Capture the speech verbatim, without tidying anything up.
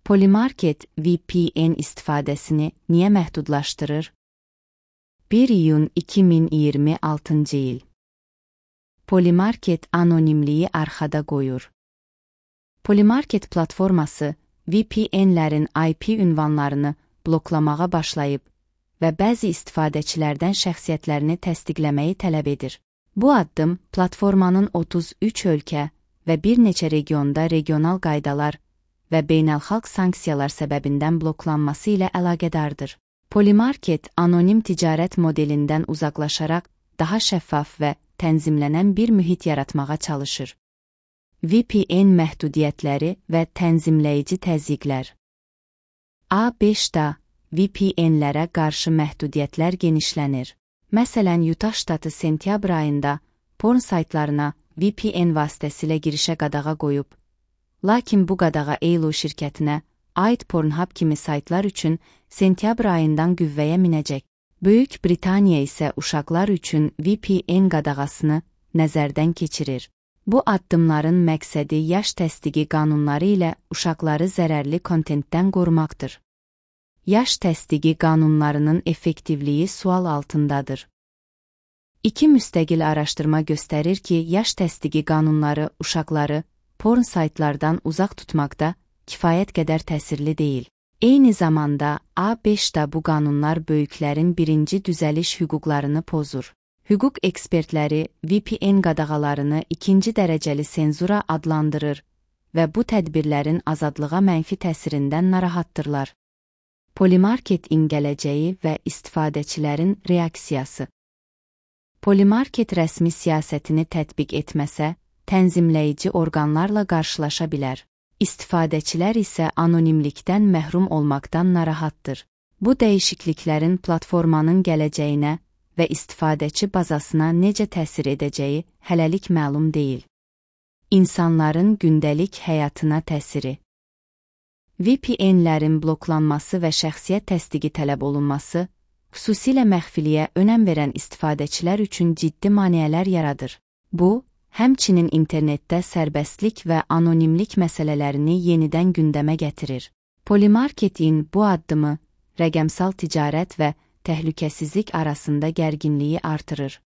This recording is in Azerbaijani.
Polymarket V P N istifadəsini niyə məhdudlaşdırır? bir iyun iki min iyirmi altıncı il. Polymarket anonimliyi arxada qoyur. Polymarket platforması V P N'lərin I P ünvanlarını bloklamağa başlayıb və bəzi istifadəçilərdən şəxsiyyətlərini təsdiqləməyi tələb edir. Bu addım platformanın otuz üç ölkə və bir neçə regionda regional qaydalar və beynəlxalq sanksiyalar səbəbindən bloklanması ilə əlaqədardır. Polymarket anonim ticarət modelindən uzaqlaşaraq daha şəffaf və tənzimlənən bir mühit yaratmağa çalışır. V P N məhdudiyyətləri və tənzimləyici təzyiqlər. A beşdə V P N'lərə qarşı məhdudiyyətlər genişlənir. Məsələn, Utah ştatı sentyabr ayında porn saytlarına V P N vasitəsilə girişə qadağa qoyub, lakin bu qadağa Elo şirkətinə aid Pornhub kimi saytlar üçün sentyabr ayından qüvvəyə minəcək. Böyük Britaniya isə uşaqlar üçün V P N qadağasını nəzərdən keçirir. Bu addımların məqsədi yaş təsdiqi qanunları ilə uşaqları zərərli kontentdən qorumaqdır. Yaş təsdiqi qanunlarının effektivliyi sual altındadır. İki müstəqil araşdırma göstərir ki, yaş təsdiqi qanunları uşaqları porn saytlardan uzaq tutmaqda kifayət qədər təsirli deyil. Eyni zamanda A beşdə bu qanunlar böyüklərin birinci düzəliş hüquqlarını pozur. Hüquq ekspertləri V P N qadağalarını ikinci dərəcəli senzura adlandırır və bu tədbirlərin azadlığa mənfi təsirindən narahatdırlar. Polymarketin gələcəyi və istifadəçilərin reaksiyası. Polymarket rəsmi siyasətini tətbiq etməsə, tənzimləyici orqanlarla qarşılaşa bilər. İstifadəçilər isə anonimlikdən məhrum olmaqdan narahatdır. Bu dəyişikliklərin platformanın gələcəyinə və istifadəçi bazasına necə təsir edəcəyi hələlik məlum deyil. İnsanların gündəlik həyatına təsiri. V P N'lərin bloklanması və şəxsiyyət təsdiqi tələb olunması, xüsusilə məxfiliyə önəm verən istifadəçilər üçün ciddi maneələr yaradır. Bu, həmçinin internetdə sərbəstlik və anonimlik məsələlərini yenidən gündəmə gətirir. Polymarketin bu addımı rəqəmsal ticarət və təhlükəsizlik arasında gərginliyi artırır.